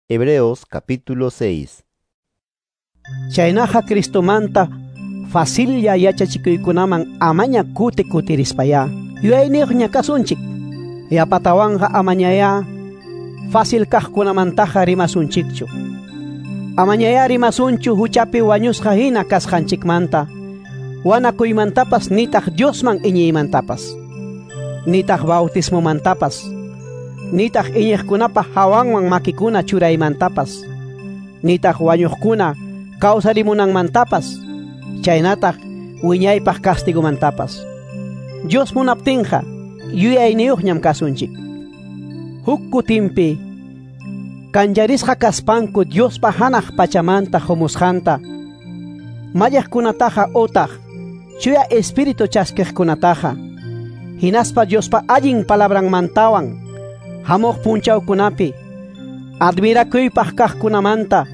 Hebreos capítulo 6. Chaynaqa Cristomanta facilla yachachikuykunaman amaña kuti kutirispayá yuyayniyuqña kasunchik. Yapatawanqa amañayá fácil kaqkunamantaqa rimasunchikchu. Amañayá rimasunchu huchapi wañusqa hina kasqanchikmanta, wanakuymantapas nitaq Diosman iñiymantapas, nitaq bautismomantapas, nitaq iñiqkunapa hawanwan makikuna churaymantapas, nitaq wañuqkuna kawsarimunanmantapas, chaynataq wiñaypaq castigumantapas. Dios munaptinqa yuyayniyuqñam kasunchik. Huk kutinpi kanllarisqa kaspanku Diospa hanaq pachamanta humusqanta, mallaqkunataqa utaq chuya espíritu chaskiqkunataqa, hinaspa Diospa allin palabranmantawan hamuq punchawkunapi admirakuypaq kaqkunamanta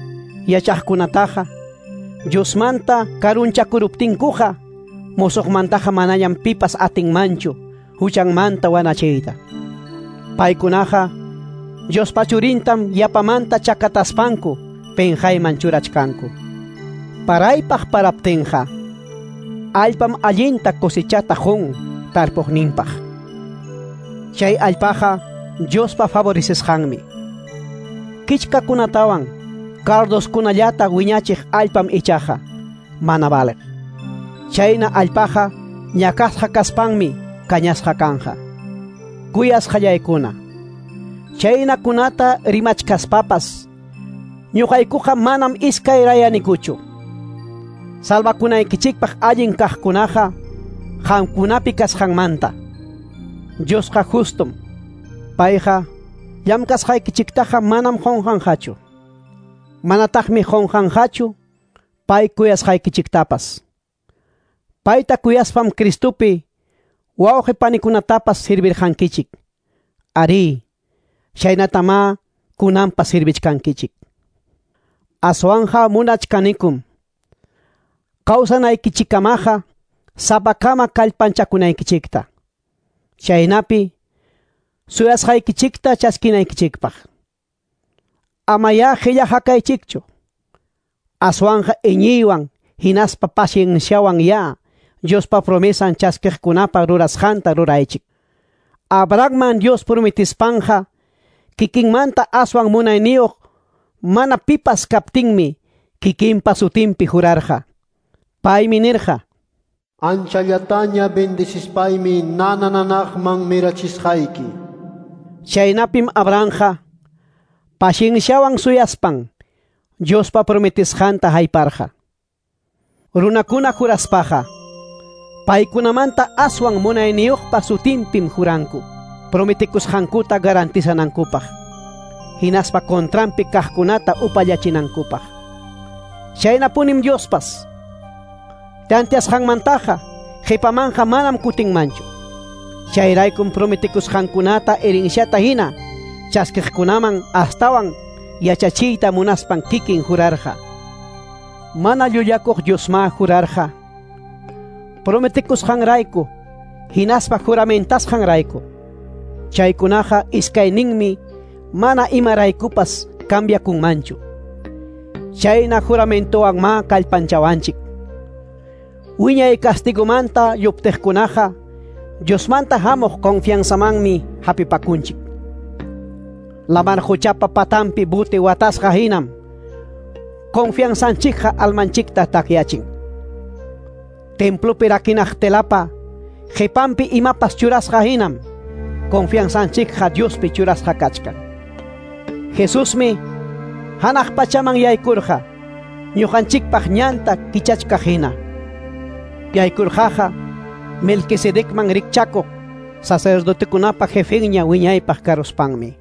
yachaqkunataqa Diosmanta karunchakuruptinkuqa musuqmantaqa manañam pipas atinmanchu huchanmanta wanachiyta. Paykunaqa Diospa churintam yapamanta chakataspanku penqayman churachkanku. Paraypaq paraptinqa allpam allinta cosechata qun tarpuqninpaq. Chay allpaqa Diospa favorecesqanmi. Kichkakunatawan cardoskunallata wiñachiq allpam ichaqa mana valeq. Chayna allpaqa ñakasqa kaspanmi kañasqa kanja. Kuyasqallaykuna, chaynakunata rimachkaspapas ñuqaykuqa manam iskayrayanikuchu. Salvakunaykichikpaq allin kaqkunaqa qamkunapi kasqanmanta. Diosqa justum. Payqa llamkasqaykichiktaqa manam qunqanqachu. Manataqmi qunqanqachu pay kuyasqaykichiktapas. Payta kuyaspam Cristopi wawqi panikunatapas sirvirqankichik. Arí, chaynatama kunanpas sirvichkankichik. Aswanja munachkanikum kawsanaykichikamaqa sapakama kallpanchakunaykichikta. Chaynapi suyasqaykichikta chaskinaykichikpaq. Amayá qilla hakaychikchu. Aswanja iñiywan hinaspa pacienciawan ya Diospa promesan chaskiqkunapa rurasqanta ruraychik. Abrahamman Dios prometispanqa kikinmanta aswan munayniyuq mana pipas kaptinmi kikinpa sutinpi jurarqa. Paymi nirqa: Anchallataña bendecispaymi nanananaqman mirachisqayki. Chaynapim Abrahamqa pacienciawan suyaspan Diospa prometisqanta hayparqa. Runakuna juraspaqa paykunamanta aswan munayniyuqpa sutinpim juranku prometikusqankuta garantizanankupaq, hinaspa contranpi kaqkunata upallachinankupaq. Chaynapunim Diospas tantiasqanmantaqa qhipamanqa manam kutinmanchu. Chayraykum prometikusqankunata herenciata hina chaskiqkunaman astawan yachachiyta munaspan kikin jurarqa. Mana llullakuq Diosma jurarqa prometikusqanrayku hinaspa juramentasqanrayku. Chaykunaqa iskayninmi mana imaraykupas cambiakunmanchu. Chayna juramentowan ma kallpanchawanchik. Wiñay castigomanta lluptiqkunaqa Diosmanta hamuq confianzamanmi hapipakunchik. Lamar huchapa patampi buti watasqa hinam confianzanchikqa almanchikta takyachin. Templopi rakinaq telapa qhipanpi imapas churasqa hinam confianzanchikqa Diospi churasqa kachkan. Jesusmi hanaq pachaman yaykurqa ñuqanchikpaq ñanta kichachkaq hina. Yaykurqaqa Melquisedecman rikchakuq sacerdotekunapa jefenña wiñaypaq karuspanmi.